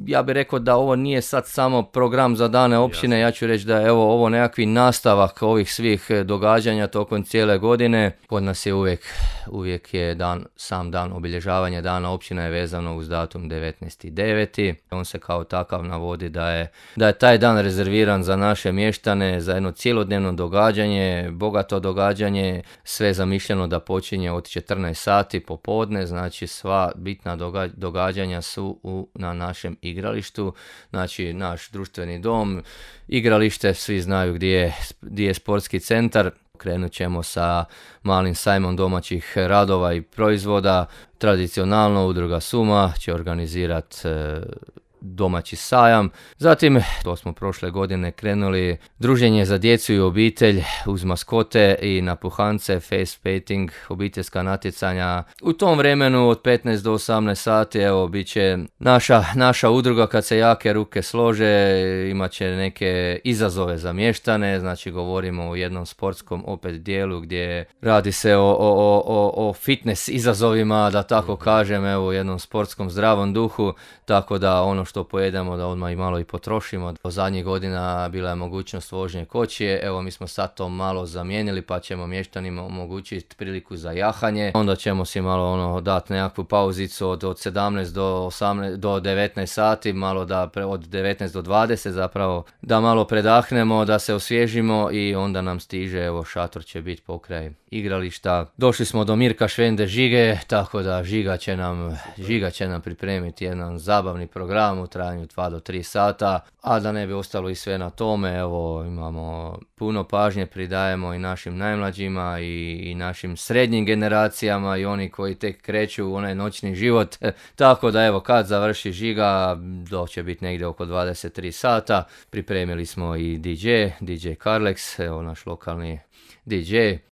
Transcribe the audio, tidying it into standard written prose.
ja bih rekao da ovo nije sad samo program za dane općine, ja ću reći da je ovo nekakvi nastavak ovih svih događanja tokom cijele godine. Kod nas je uvijek je sam dan obilježavanja dana općina je vezano uz datum 19.9. On se kao takav navodi da je taj dan rezerviran za naše mještane, za jedno cijelodnevno događanje, bogato događanje, sve zamišljeno da počinje od 14 sati popodne, znači sva bitna događanja su na našem igralištu, znači naš društveni dom, igralište, svi znaju gdje je sportski centar. Krenut ćemo sa malim sajmom domaćih radova i proizvoda. Tradicionalno udruga Suma će organizirati domaći sajam. Zatim, to smo prošle godine krenuli, druženje za djecu i obitelj uz maskote i napuhance, face painting, obiteljska natjecanja. U tom vremenu od 15 do 18 sati, evo, bit će naša udruga kad se jake ruke slože, imat će neke izazove za mještane, znači govorimo o jednom sportskom opet dijelu gdje radi se o fitness izazovima, da tako kažem, evo, u jednom sportskom zdravom duhu, tako da ono što pojedemo da odmah i malo i potrošimo. Do zadnjih godina bila je mogućnost vožnje kočije, evo mi smo sad to malo zamijenili pa ćemo mještanima omogućiti priliku za jahanje. Onda ćemo si malo dati nekakvu pauzicu od 17 do 19 sati, malo da od 19 do 20 zapravo da malo predahnemo, da se osvježimo i onda nam stiže, evo šator će biti pokraj igrališta. Došli smo do Mirka Švende Žige, tako da Žiga će nam pripremiti jedan zabavni program u trajanju 2 do 3 sata, a da ne bi ostalo i sve na tome, evo imamo puno pažnje pridajemo i našim najmlađima i našim srednjim generacijama i oni koji tek kreću u onaj noćni život, tako da evo kad završi Žiga, to će biti negdje oko 23 sata, pripremili smo i DJ Karlex, evo naš lokalni DJ.